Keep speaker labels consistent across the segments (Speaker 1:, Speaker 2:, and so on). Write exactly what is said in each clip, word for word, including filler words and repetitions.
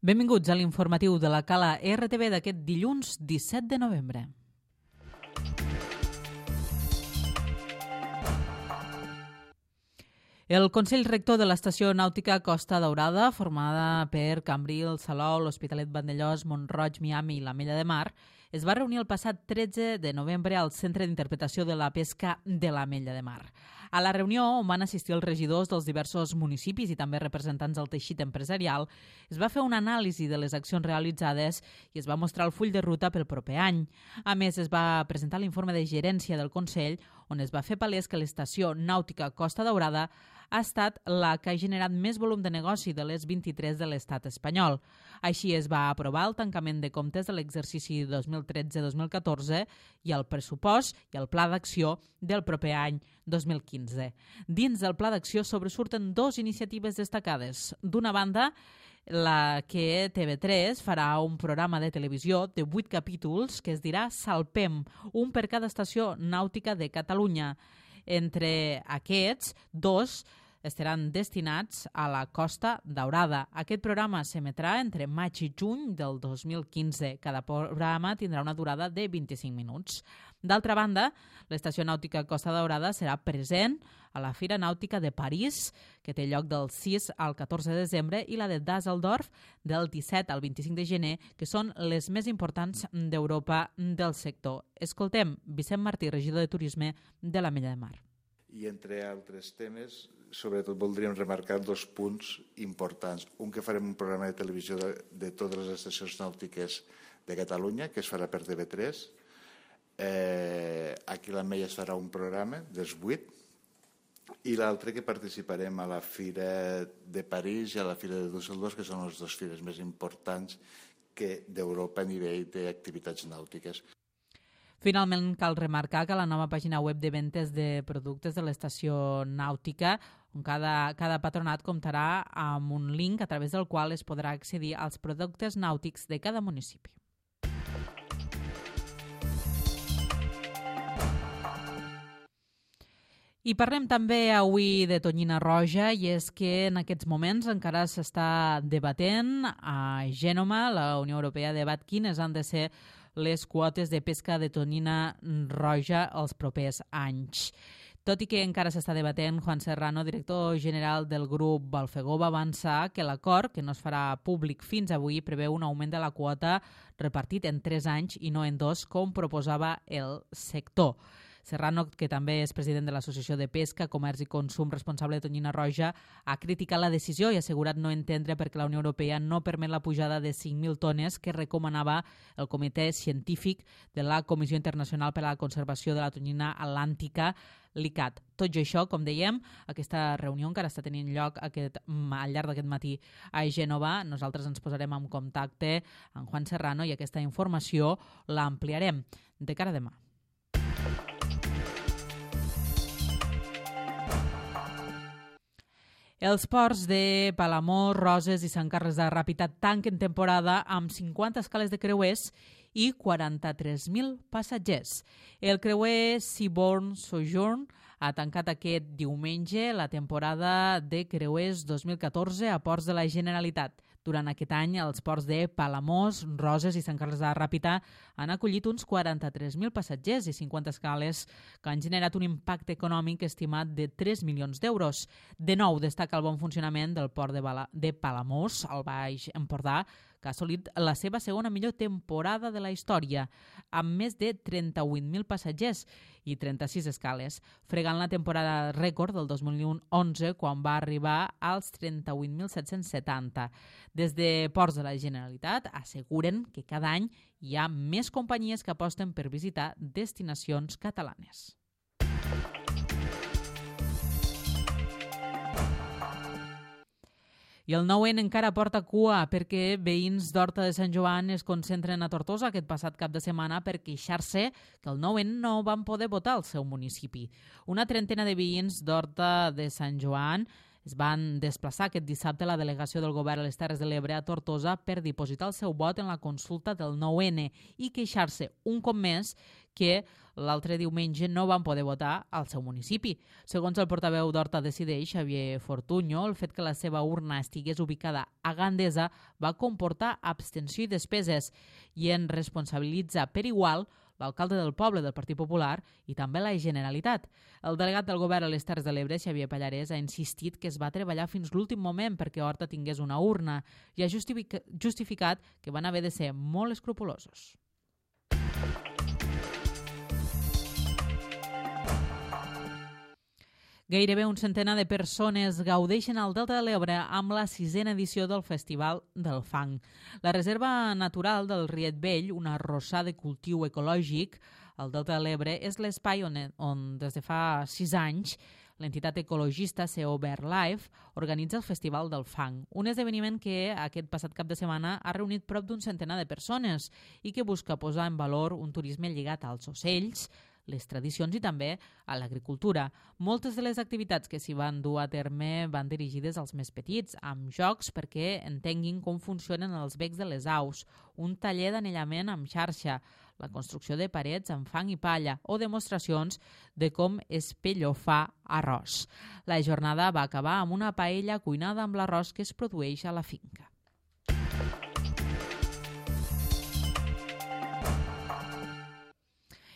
Speaker 1: Benvinguts a l'informatiu de la Cala R T V d'aquest dilluns disset de novembre. El Consell Rector de l'Estació Nàutica Costa Daurada, formada per Cambrils, Salou, l'Hospitalet Vandellòs, Mont-roig, Miami i l'Ametlla de Mar, es va reunir el passat tretze de novembre al Centre d'Interpretació de la Pesca de l'Ametlla de Mar. A la reunió, on van assistir els regidors dels diversos municipis i també representants del teixit empresarial, es va fer una anàlisi de les accions realitzades i es va mostrar el full de ruta pel proper any. A més, es va presentar l'informe de gerència del Consell, on es va fer palès que l'Estació Nàutica Costa Daurada ha estat la que ha generat més volum de negoci de les vint-i-tres de l'estat espanyol. Així es va aprovar el tancament de comptes de l'exercici dos mil tretze dos mil catorze i el pressupost i el pla d'acció del proper any dos mil quinze. Dins del pla d'acció sobresurten dues iniciatives destacades. D'una banda, la que T V tres farà un programa de televisió de vuit capítols que es dirà Salpem, un per cada estació nàutica de Catalunya. Entre aquests, dos estaran destinats a la Costa Daurada. Aquest programa s'emetrà entre maig i juny del dos mil quinze. Cada programa tindrà una durada de vint-i-cinc minuts. D'altra banda, l'Estació Nàutica Costa Daurada serà present a la Fira Nàutica de París, que té lloc del sis al catorze de desembre, i la de Düsseldorf del disset al vint-i-cinc de gener, que són les més importants d'Europa del sector. Escoltem Vicent Martí, regidor de Turisme de l'Ametlla de Mar.
Speaker 2: I entre altres temes, sobretot voldríem remarcar dos punts importants. Un, que farem un programa de televisió de, de totes les estacions nàutiques de Catalunya, que es farà per T V tres. Eh, aquí a l'Ametlla es farà un programa dels vuit. I l'altre, que participarem a la Fira de París i a la Fira de Düsseldorf, que són les dues fires més importants que d'Europa a nivell d'activitats nàutiques.
Speaker 1: Finalment, cal remarcar que la nova pàgina web de ventes de productes de l'estació nàutica, on cada, cada patronat comptarà amb un link a través del qual es podrà accedir als productes nàutics de cada municipi. I parlem també avui de tonyina roja, i és que en aquests moments encara s'està debatent a Gènova. La Unió Europea debat quines han de ser les quotes de pesca de tonyina roja els propers anys. Tot i que encara s'està debatent, Juan Serrano, director general del grup Balfegó, va avançar que l'acord, que no es farà públic fins avui, preveu un augment de la quota repartit en tres anys i no en dos, com proposava el sector. Serrano, que també és president de l'Associació de Pesca, Comerç i Consum responsable de tonyina roja, ha criticat la decisió i ha assegurat no entendre perquè la Unió Europea no permet la pujada de cinc mil tones que recomanava el Comitè Científic de la Comissió Internacional per a la Conservació de la Tonyina Atlàntica, l'I C A T. Tot i això, com dèiem, aquesta reunió encara està tenint lloc aquest, al llarg d'aquest matí a Gènova. Nosaltres ens posarem en contacte amb Juan Serrano i aquesta informació l'ampliarem de cara a demà. Els ports de Palamós, Roses i Sant Carles de Ràpita tanquen temporada amb cinquanta escales de creuers i quaranta-tres mil passatgers. El creuer Seabourn Sojourn ha tancat aquest diumenge la temporada de creuers dos mil catorze a ports de la Generalitat. Durant aquest any, els ports de Palamós, Roses i Sant Carles de Ràpita han acollit uns quaranta-tres mil passatgers i cinquanta escales que han generat un impacte econòmic estimat de tres milions d'euros. De nou, destaca el bon funcionament del port de, Bala, de Palamós, al Baix Empordà, que ha assolit la seva segona millor temporada de la història, amb més de trenta-vuit mil passatgers i trenta-sis escales, fregant la temporada rècord del dos mil onze, quan va arribar als trenta-vuit mil set-cents setanta. Des de Ports de la Generalitat asseguren que cada any hi ha més companyies que aposten per visitar destinacions catalanes. I el nou N encara porta cua perquè veïns d'Horta de Sant Joan es concentren a Tortosa aquest passat cap de setmana per queixar-se que el nou N no van poder votar al seu municipi. Una trentena de veïns d'Horta de Sant Joan Es van desplaçar aquest dissabte la delegació del govern a les Terres de l'Ebre a Tortosa per dipositar el seu vot en la consulta del nou ene i queixar-se un cop més que l'altre diumenge no van poder votar al seu municipi. Segons el portaveu d'Horta Decideix, Xavier Fortuño, el fet que la seva urna estigués ubicada a Gandesa va comportar abstenció i despeses i en responsabilitza per igual l'alcalde del poble del Partit Popular i també la Generalitat. El delegat del govern a les Terres de l'Ebre, Xavier Pallarès, ha insistit que es va treballar fins l'últim moment perquè Horta tingués una urna i ha justificat que van haver de ser molt escrupulosos. Gairebé un centenar de persones gaudeixen al Delta de l'Ebre amb la sisena edició del Festival del Fang. La Reserva Natural del Riet Vell, un arrossar de cultiu ecològic al Delta de l'Ebre, és l'espai on, on des de fa sis anys l'entitat ecologista C O BirdLife organitza el Festival del Fang, un esdeveniment que aquest passat cap de setmana ha reunit prop d'un centenar de persones i que busca posar en valor un turisme lligat als ocells, les tradicions i també a l'agricultura. Moltes de les activitats que s'hi van dur a terme van dirigides als més petits, amb jocs perquè entenguin com funcionen els becs de les aus, un taller d'anellament amb xarxa, la construcció de parets amb fang i palla o demostracions de com es pellofar arròs. La jornada va acabar amb una paella cuinada amb l'arròs que es produeix a la finca.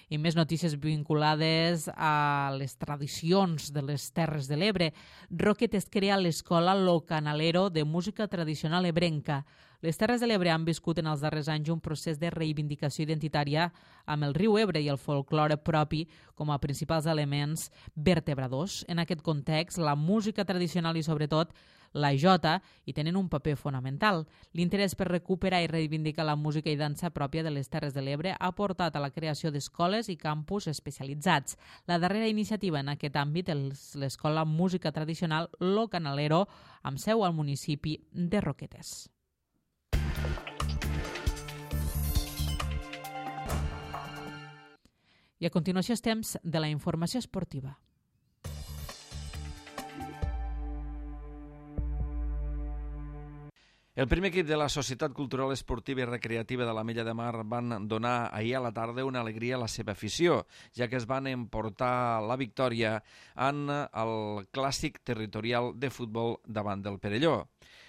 Speaker 1: I més notícies vinculades a les tradicions de les Terres de l'Ebre. Roquet es crea l'escola Lo Canalero de música tradicional ebrenca. Les Terres de l'Ebre han viscut en els darrers anys un procés de reivindicació identitària amb el riu Ebre i el folklore propi com a principals elements vertebradors. En aquest context, la música tradicional i, sobretot, la jota hi tenen un paper fonamental. L'interès per recuperar i reivindicar la música i dansa pròpia de les Terres de l'Ebre ha portat a la creació d'escoles i campus especialitzats. La darrera iniciativa en aquest àmbit és l'escola Música Tradicional Lo Canalero, amb seu al municipi de Roquetes. I a continuació és temps de la informació esportiva.
Speaker 3: El primer equip de la Societat Cultural Esportiva i Recreativa de l'Ametlla de Mar van donar ahir a la tarda una alegria a la seva afició, ja que es van emportar la victòria en el clàssic territorial de futbol davant del Perelló.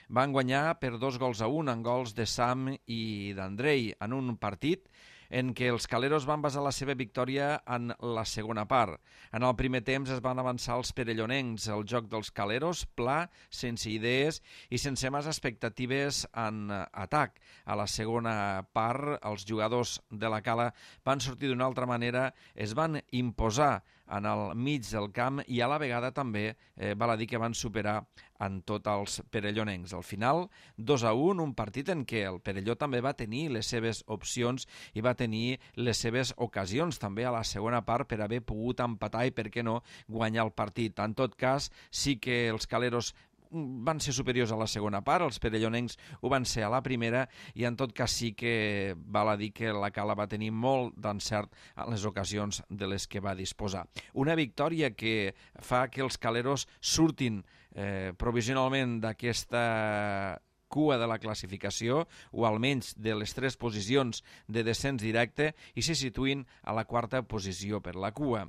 Speaker 3: Van guanyar per dos gols a un, en gols de Sam i d'Andrei, en un partit en què els caleros van basar la seva victòria en la segona part. En el primer temps es van avançar els perellonencs, el joc dels caleros, pla, sense idees i sense més expectatives en atac. A la segona part, els jugadors de la Cala van sortir d'una altra manera, es van imposar en el mig del camp i a la vegada també eh, val a dir que van superar en tots els perellonencs. Al final, dos a un, un partit en què el Perelló també va tenir les seves opcions i va tenir les seves ocasions també a la segona part per haver pogut empatar i, per què no, guanyar el partit. En tot cas, sí que els caleros van ser superiors a la segona part, els perellonencs ho van ser a la primera i en tot cas sí que val a dir que la Cala va tenir molt d'encert en les ocasions de les que va disposar. Una victòria que fa que els caleros surtin eh, provisionalment d'aquesta cua de la classificació, o almenys de les tres posicions de descens directe, i se situïn a la quarta posició per la cua.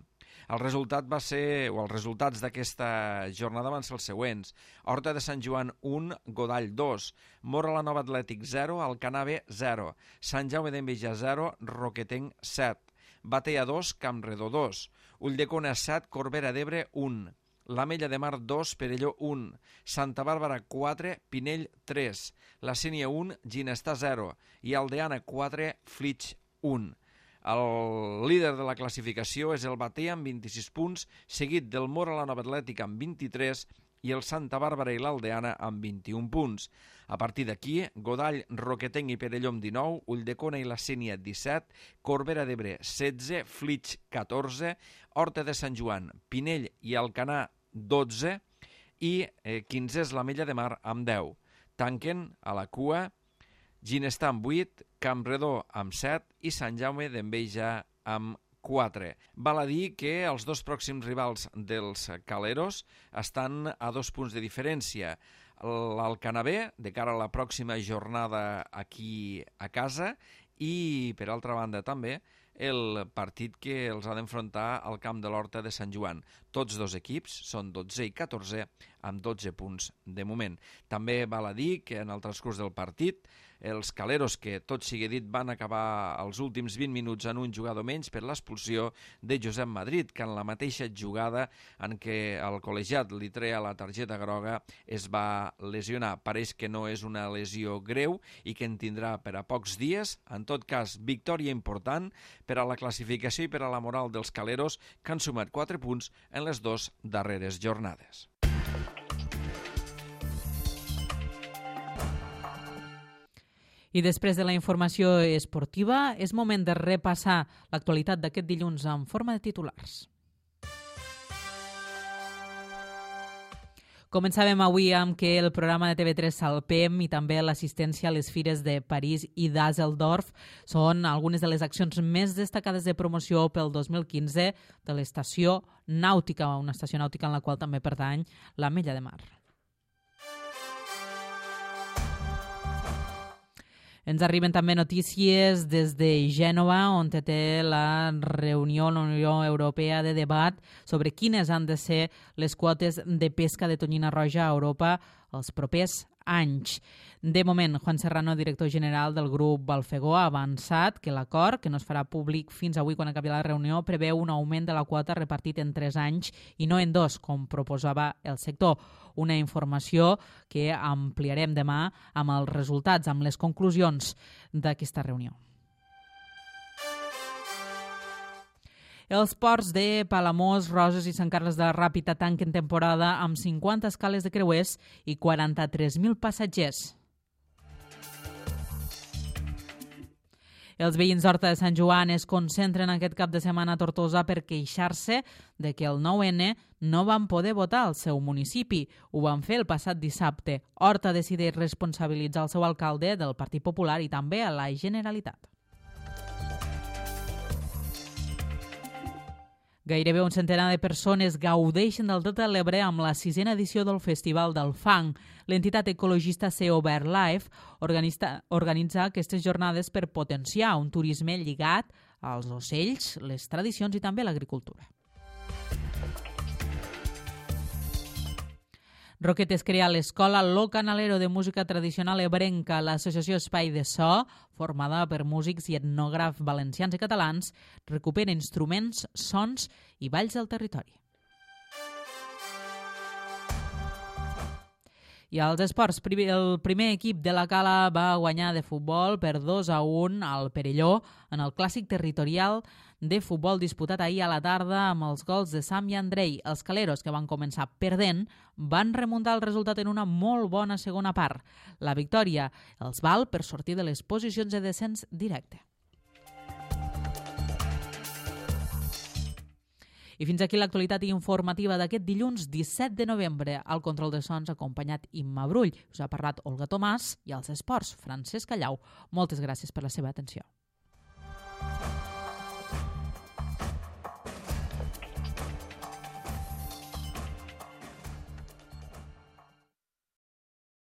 Speaker 3: El resultat va ser, o els resultats d'aquesta jornada van ser els següents. Horta de Sant Joan un, Godall dos, Móra la Nova Atlètic zero, Alcanave zero, Sant Jaume d'Enveja zero, Roquetenc set, Batea dos, Campredó dos, Ulldecona set, Corbera d'Ebre un, l'Ametlla de Mar dos, Perelló un, Santa Bàrbara quatre, Pinell tres, la Sénia un, Ginestar zero i Aldeana quatre, Flix un. El líder de la classificació és el Batea amb vint-i-sis punts, seguit del Móra la Nova Atlètica amb vint-i-tres i el Santa Bàrbara i l'Aldeana amb vint-i-un punts. A partir d'aquí, Godall, Roquetenc i Perelló amb dinou, Ulldecona i la Sénia disset, Corbera d'Ebre setze, Flix catorze, Horta de Sant Joan, Pinell i Alcanar dotze i eh, quinze és l'Ametlla de Mar amb deu. Tanquen a la cua Ginestar amb vuit, Campredó amb set i Sant Jaume d'Enveja amb quatre. Val a dir que els dos pròxims rivals dels Caleros estan a dos punts de diferència. L'Alcanavè, de cara a la pròxima jornada aquí a casa, i, per altra banda, també el partit que els ha d'enfrontar al camp de l'Horta de Sant Joan. Tots dos equips són dotze i catorze, amb dotze punts de moment. També val a dir que en el transcurs del partit els Caleros, que tot sigui dit van acabar els últims vint minuts en un jugador menys per l'expulsió de Josep Madrid, que en la mateixa jugada en què el col·legiat li treia la targeta groga es va lesionar. Pareix que no és una lesió greu i que en tindrà per a pocs dies. En tot cas, victòria important per a la classificació i per a la moral dels Caleros, que han sumat quatre punts en les dues darreres jornades.
Speaker 1: I després de la informació esportiva, és moment de repassar l'actualitat d'aquest dilluns en forma de titulars. Començàvem avui amb que el programa de T V tres Salpem i també l'assistència a les fires de París i Düsseldorf són algunes de les accions més destacades de promoció pel dos mil quinze de l'estació nàutica, una estació nàutica en la qual també pertany l'Ametlla de Mar. Ens arriben també notícies des de Gènova, on té la reunió de la Unió Europea de debat sobre quines han de ser les quotes de pesca de tonyina roja a Europa els propers anys. De moment, Juan Serrano, director general del grup Balfegó, ha avançat que l'acord, que no es farà públic fins avui quan acabi la reunió, preveu un augment de la quota repartit en tres anys i no en dos, com proposava el sector. Una informació que ampliarem demà amb els resultats, amb les conclusions d'aquesta reunió. Els ports de Palamós, Roses i Sant Carles de la Ràpita tanquen temporada amb cinquanta escales de creuers i quaranta-tres mil passatgers. Els veïns d'Horta de Sant Joan es concentren aquest cap de setmana a Tortosa per queixar-se de que el nou ene no van poder votar al seu municipi. Ho van fer el passat dissabte. Horta decideix responsabilitzar el seu alcalde del Partit Popular i també a la Generalitat. Gairebé un centenar de persones gaudeixen del Delta de l'Ebre amb la sisena edició del Festival del Fang. L'entitat ecologista C O BirdLife organitza aquestes jornades per potenciar un turisme lligat als ocells, les tradicions i també l'agricultura. Roquetes crea l'Escola Lo Canalero de Música Tradicional Ebrenca. L'associació Espai de So, formada per músics i etnògrafs valencians i catalans, recupera instruments, sons i balls del territori. I als esports, el primer equip de la Cala va guanyar de futbol per dos a un al Perelló en el clàssic territorial de futbol disputat ahir a la tarda amb els gols de Sam i Andrei. Els caleros, que van començar perdent, van remuntar el resultat en una molt bona segona part. La victòria els val per sortir de les posicions de descens directe. I fins aquí l'actualitat informativa d'aquest dilluns disset de novembre. Al control de sons acompanyat Imma Brull. Us ha parlat Olga Tomàs i als esports Francesc Callau. Moltes gràcies per la seva atenció.